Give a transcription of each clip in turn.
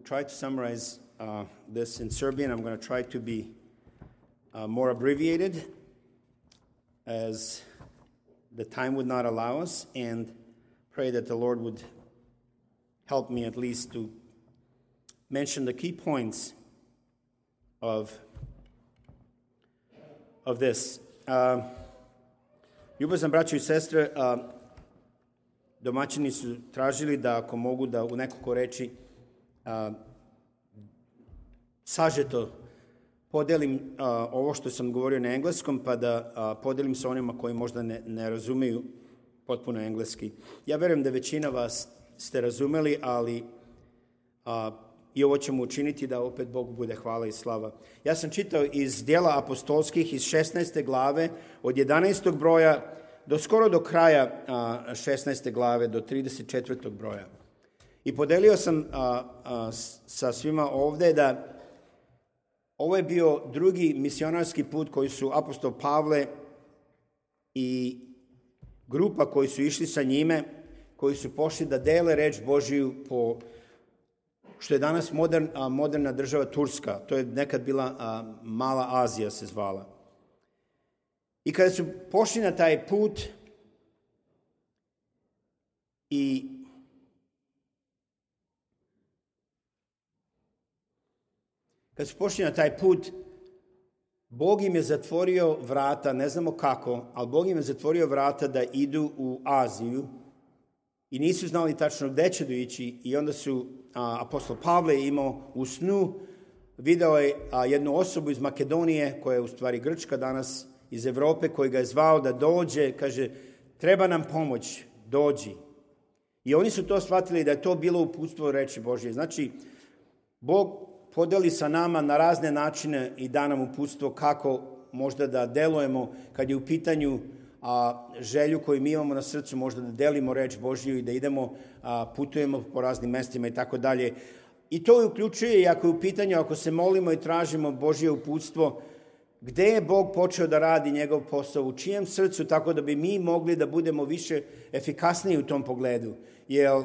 Try to summarize this in Serbian. I'm going to try to be more abbreviated as the time would not allow us, and pray that the Lord would help me at least to mention the key points of this. Ljubazan braćo i sestre, domaćini su tražili da ako mogu da u nekoliko reči sažeto podelim ovo što sam govorio na engleskom, pa da podelim sa onima koji možda ne razumeju potpuno engleski. Ja verujem da većina vas ste razumeli, ali i ovo ćemo učiniti da opet Bogu bude hvala i slava. Ja sam čitao iz Djela apostolskih iz 16. glave, od 11. broja skoro do kraja 16. glave, do 34. broja. I podelio sam sa svima ovde da ovo je bio drugi misionarski put koji su apostol Pavle i grupa koji su išli sa njime, koji su pošli da dele reč Božiju po što je danas moderna država Turska. To je nekad bila Mala Azija se zvala. I kada su pošli na taj put Bog im je zatvorio vrata, ne znamo kako, ali Bog im je zatvorio vrata da idu u Aziju i nisu znali tačno gde će da ići, i onda su apostol Pavle imao u snu, video je jednu osobu iz Makedonije, koja je u stvari Grčka danas, iz Evrope, koji ga je zvao da dođe, kaže, treba nam pomoć, dođi. I oni su to shvatili da je to bilo uputstvo reči Božje. Znači, Bog podeli sa nama na razne načine i da nam uputstvo kako možda da delujemo kad je u pitanju želju koju mi imamo na srcu, možda da delimo reč Božju i da idemo, putujemo po raznim mestima i tako dalje. I to uključuje i ako je u pitanju, ako se molimo i tražimo Božje uputstvo, gde je Bog počeo da radi njegov posao, u čijem srcu, tako da bi mi mogli da budemo više efikasniji u tom pogledu. Jer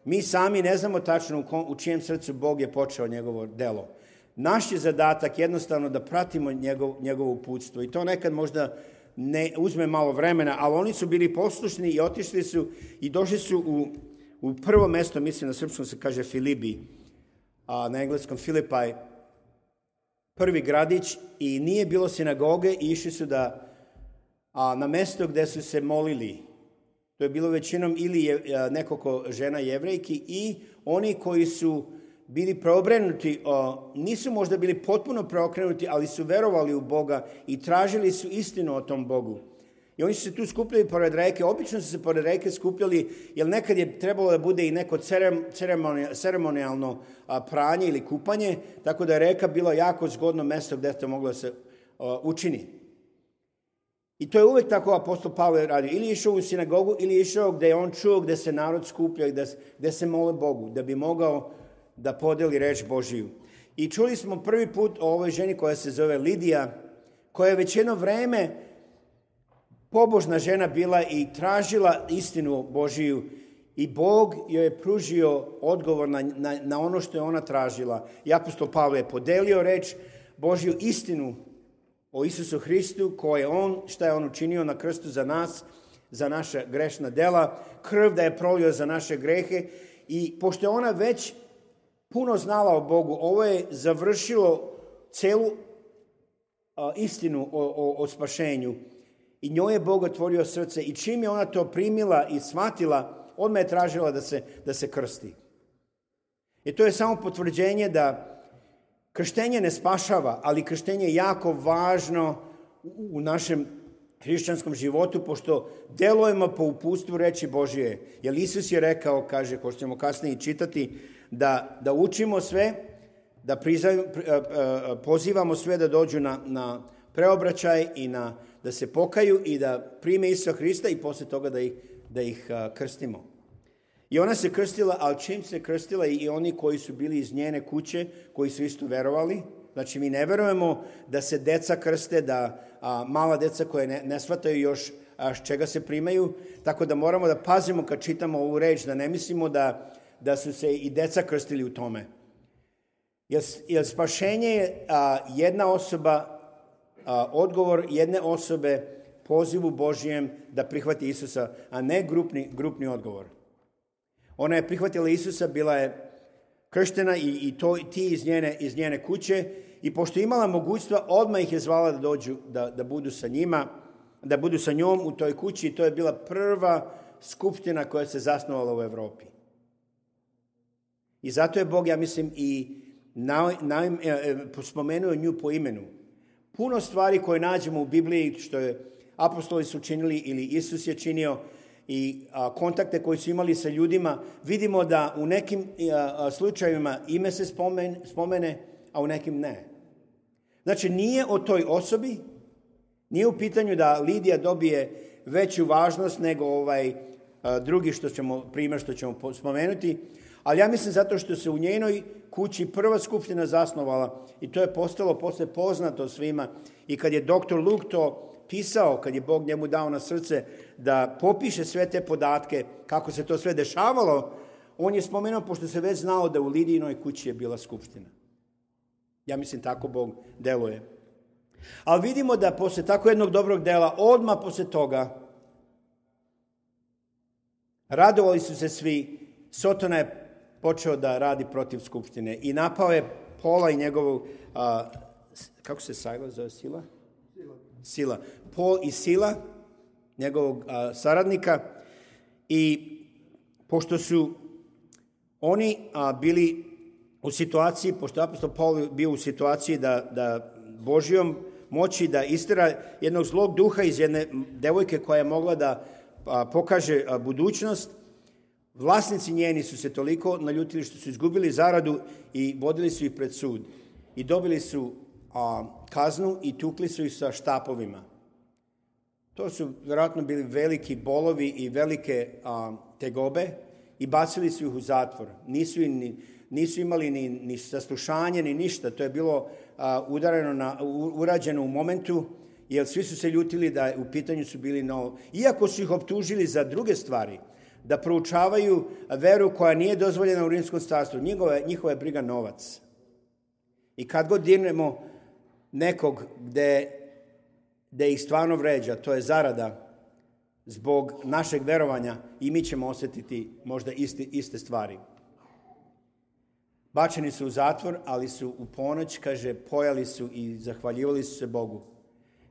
mi sami ne znamo tačno u čijem srcu Bog je počeo njegovo delo. Naš je zadatak jednostavno da pratimo njegovo uputstvo i to nekad možda ne uzme malo vremena, ali oni su bili poslušni i otišli su i došli su u prvo mesto, mislim na srpskom se kaže Filibi, na engleskom Filipaj, prvi gradić, i nije bilo sinagoge i išli su na mesto gde su se molili. To je bilo većinom ili nekoliko žena jevrejki i oni koji su bili preokrenuti, nisu možda bili potpuno preokrenuti, ali su verovali u Boga i tražili su istinu o tom Bogu. I oni su se tu skupljali pored reke. Obično su se pored reke skupljali, jer nekad je trebalo da bude i neko ceremonijalno pranje ili kupanje, tako da je reka bila jako zgodno mesto gde to moglo da se učini. I to je uvek tako apostol Pavle radio. Ili išao u sinagogu, ili išao gde je on čuo, gde se narod skuplja i gde se mole Bogu, da bi mogao da podeli reč Božiju. I čuli smo prvi put o ovoj ženi koja se zove Lidija, koja je već jedno vreme pobožna žena bila i tražila istinu Božiju, i Bog joj je pružio odgovor na ono što je ona tražila. I apostol Pavle je podelio reč Božju, istinu o Isusu Hristu, šta je on učinio na krstu za nas, za naša grešna dela, krv da je prolio za naše grehe. I pošto je ona već puno znala o Bogu, ovo je završilo celu istinu o spašenju. I njoj je Bog otvorio srce, i čim je ona to primila i shvatila, odmah je tražila da se krsti. I to je samo potvrđenje da krštenje ne spašava, ali krštenje je jako važno u našem hrišćanskom životu, pošto delujemo po uputstvu reči Božije. Jer Isus je rekao, kaže, ko što ćemo kasnije čitati, da učimo sve, da pozivamo sve da dođu na preobraćaj i da se pokaju i da prime Isusa Hrista, i posle toga da ih krstimo. I ona se krstila, ali čim se krstila i oni koji su bili iz njene kuće, koji su isto verovali, znači mi ne verujemo da se deca krste, da mala deca koje ne shvataju još s čega se primaju, tako da moramo da pazimo kad čitamo ovu reč, da ne mislimo da su se i deca krstili u tome. Jer spašenje je jedna osoba, odgovor jedne osobe pozivu Božijem da prihvati Isusa, a ne grupni odgovor. Ona je prihvatila Isusa, bila je krštena i ti iz njene kuće, i pošto je imala mogućstva, odmah ih je zvala da dođu, da budu sa njima, da budu sa njom u toj kući, i to je bila prva skupština koja se zasnovala u Evropi. I zato je Bog, ja mislim, i spomenuo nju po imenu. Puno stvari koje nađemo u Bibliji, što je apostoli su činili ili Isus je činio, i kontakte koji su imali sa ljudima, vidimo da u nekim slučajevima ime se spomene, a u nekim ne. Znači, nije o toj osobi, nije u pitanju da Lidija dobije veću važnost nego drugi primjer što ćemo spomenuti, ali ja mislim zato što se u njenoj kući prva skupština zasnovala i to je postalo posle poznato svima. I kad je doktor Luke to pisao, kad je Bog njemu dao na srce da popiše sve te podatke, kako se to sve dešavalo, on je spomenuo, pošto se već znao da u Lidijinoj kući je bila skupština. Ja mislim, tako Bog deluje. Ali vidimo da posle tako jednog dobrog dela, odmah posle toga, radovali su se svi. Sotona je počeo da radi protiv skupštine i napao je Pola i njegovog, kako se Sila zove, Sila. Pol i Sila, njegovog saradnika, i pošto su oni bili u situaciji, pošto je apostol Paul bio u situaciji da Božjom moći da istera jednog zlog duha iz jedne devojke koja je mogla da pokaže budućnost, vlasnici njeni su se toliko naljutili što su izgubili zaradu i vodili su ih pred sud. I dobili su kaznu i tukli su ih sa štapovima. To su vjerojatno bili veliki bolovi i velike tegobe i bacili su ih u zatvor. Nisu imali ni saslušanje, ni ništa. To je bilo urađeno u momentu, jer svi su se ljutili da u pitanju su bili novo. Iako su ih optužili za druge stvari, da proučavaju veru koja nije dozvoljena u Rimskom carstvu. Njihova je briga novac. I kad god dirnemo nekog gde ih stvarno vređa, to je zarada zbog našeg verovanja, i mi ćemo osjetiti možda iste stvari. Bačeni su u zatvor, ali su u ponoć, kaže, pojali su i zahvaljivali su se Bogu.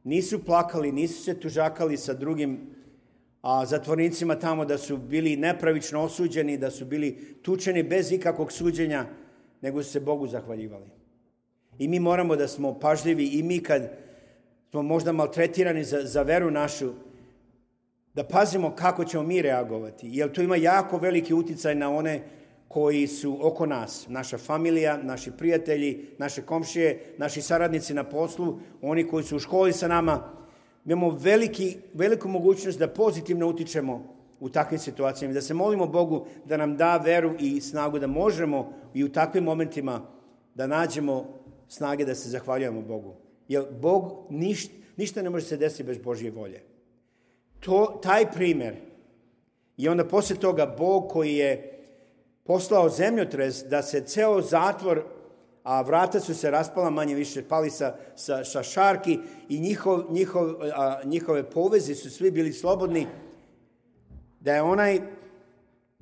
Nisu plakali, nisu se tužakali sa drugim zatvornicima tamo da su bili nepravično osuđeni, da su bili tučeni bez ikakvog suđenja, nego su se Bogu zahvaljivali. I mi moramo da smo pažljivi, i mi kad smo možda maltretirani za veru našu, da pazimo kako ćemo mi reagovati. Jer to ima jako veliki uticaj na one koji su oko nas. Naša familija, naši prijatelji, naše komšije, naši saradnici na poslu, oni koji su u školi sa nama. Mi imamo veliku mogućnost da pozitivno utičemo u takvim situacijama, da se molimo Bogu da nam da veru i snagu da možemo i u takvim momentima da nađemo snage da se zahvaljujemo Bogu. Jer Bog, ništa ne može se desiti bez Božje volje. Taj primjer, i onda poslije toga Bog koji je poslao zemljotres da se ceo zatvor, a vrata su se raspala, manje više pali sa šarki, i njihove povezi su svi bili slobodni, da je onaj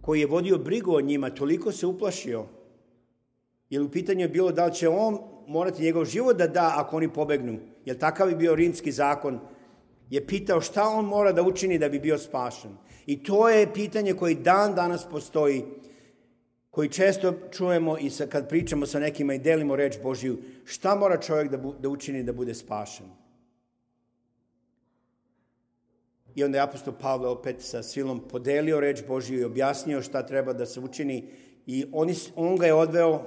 koji je vodio brigu o njima toliko se uplašio, jer u pitanju je bilo da li će on morati njegov život da da ako oni pobegnu, jer takav je bio rimski zakon, je pitao šta on mora da učini da bi bio spašen. I to je pitanje koji dan danas postoji, koji često čujemo i kad pričamo sa nekima i delimo reč Božju, šta mora čovjek da učini da bude spašen. I onda je apostol Pavle opet sa silom podelio reč Božju i objasnio šta treba da se učini, i on ga je odveo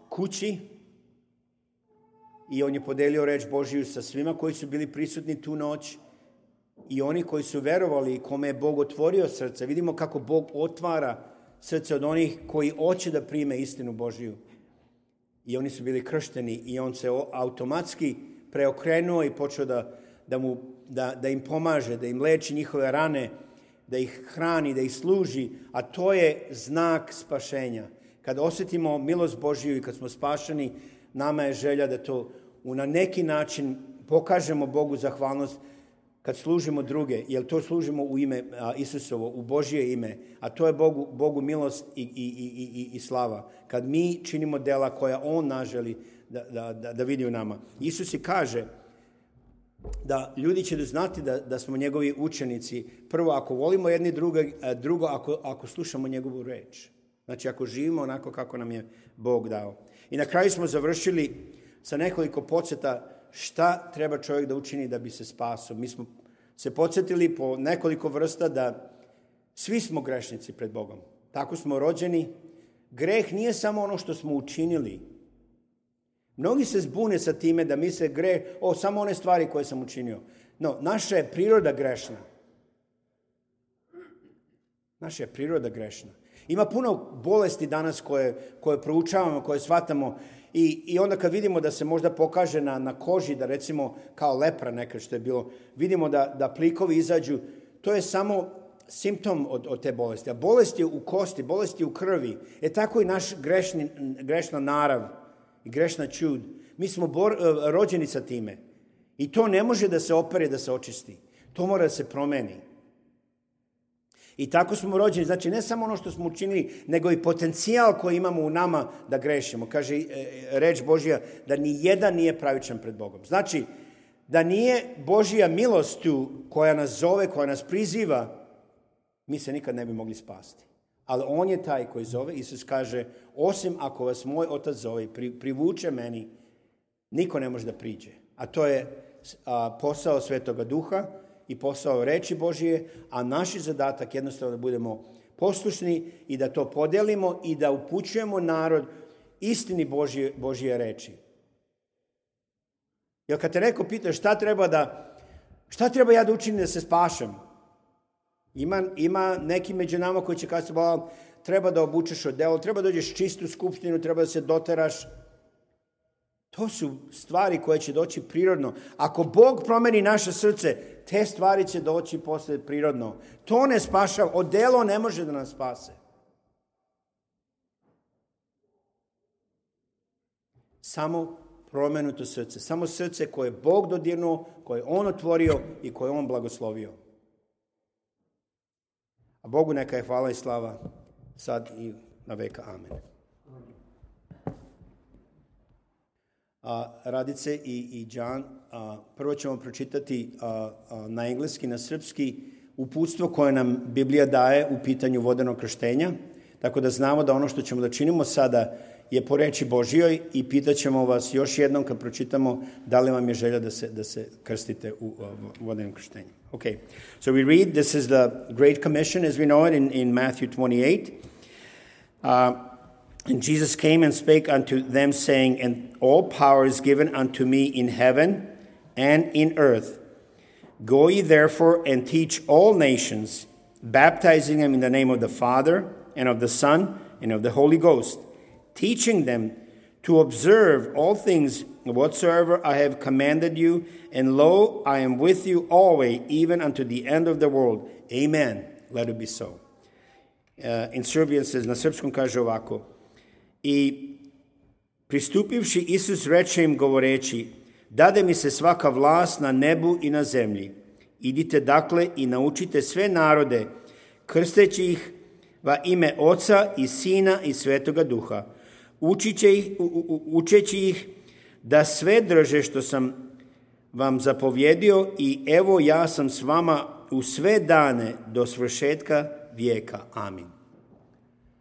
kući i on je podelio reč Božju sa svima koji su bili prisutni tu noć, i oni koji su verovali i kome je Bog otvorio srce. Vidimo kako Bog otvara srce od onih koji hoće da prime istinu Božju. I oni su bili kršteni i on se automatski preokrenuo i počeo da im pomaže, da im leči njihove rane, da ih hrani, da ih služi, a to je znak spašenja. Kad osjetimo milost Božiju i kad smo spašeni, nama je želja da to na neki način pokažemo Bogu zahvalnost kad služimo druge, jer to služimo u ime Isusovo, u Božje ime, a to je Bogu milost i slava. Kad mi činimo dela koja On nas želi da vidi u nama. Isus i kaže da ljudi će znati da smo njegovi učenici. Prvo, ako volimo jedni drugo, ako slušamo njegovu reč. Znači, ako živimo onako kako nam je Bog dao. I na kraju smo završili sa nekoliko podsjeta šta treba čovjek da učini da bi se spasao. Mi smo se podsjetili po nekoliko vrsta da svi smo grešnici pred Bogom. Tako smo rođeni. Greh nije samo ono što smo učinili. Mnogi se zbune sa time da misle greh, samo one stvari koje sam učinio. No, naša je priroda grešna. Naša je priroda grešna. Ima puno bolesti danas koje proučavamo, koje shvatamo i onda kad vidimo da se možda pokaže na koži, da recimo kao lepra nekad što je bilo, vidimo da plikovi izađu, to je samo simptom od te bolesti. A bolest je u kosti, bolest je u krvi. Tako i naš grešna narav i grešna čud. Mi smo rođeni sa time. I to ne može da se opere, da se očisti. To mora da se promeni. I tako smo rođeni. Znači, ne samo ono što smo učinili, nego i potencijal koji imamo u nama da grešimo. Kaže reč Božja da ni jedan nije pravičan pred Bogom. Znači, da nije Božja milost tu koja nas zove, koja nas priziva, mi se nikad ne bi mogli spasti. Ali On je taj koji zove. Isus kaže, osim ako vas moj Otac zove i privuče meni, niko ne može da priđe. A to je posao Svetoga Duha i posao reči Božije, a naš zadatak jednostavno da budemo poslušni i da to podelimo i da upućujemo narod istini Božije reči. Jer kad te neko pita šta treba ja da učinim da se spašam, ima neki među nama koji će kazati, treba da obučeš odelo, treba da dođeš čistu skupštinu, treba da se doteraš. To su stvari koje će doći prirodno. Ako Bog promeni naše srce, te stvari će doći posle prirodno. To ne spašava. Odelo ne može da nas spase. Samo promenuto srce. Samo srce koje je Bog dodirnuo, koje je On otvorio i koje je On blagoslovio. A Bogu neka je hvala i slava sad i na veka. Amen. Radice i Đan, prvo ćemo pročitati na engleski, na srpski uputstvo koje nam Biblija daje u pitanju vodenog krštenja, tako da znamo da ono što ćemo da činimo sada je po reči Božjoj i pitaćemo vas još jednom kad pročitamo da li vam je želja da se krstite u vodenom krštenju. Okay, so we read, this is the Great Commission as we know it in Matthew 28. And Jesus came and spake unto them, saying, And all power is given unto me in heaven and in earth. Go ye therefore and teach all nations, baptizing them in the name of the Father and of the Son and of the Holy Ghost, teaching them to observe all things whatsoever I have commanded you, and lo, I am with you always, even unto the end of the world. Amen. Let it be so. In Serbian says, na srpskom kaže ovako, I pristupivši Isus reče im govoreći, dade mi se svaka vlast na nebu i na zemlji. Idite dakle i naučite sve narode, krsteći ih va ime Oca i Sina i Svetoga Duha, učeći ih da sve drže što sam vam zapovjedio i evo ja sam s vama u sve dane do svršetka vijeka. Amin.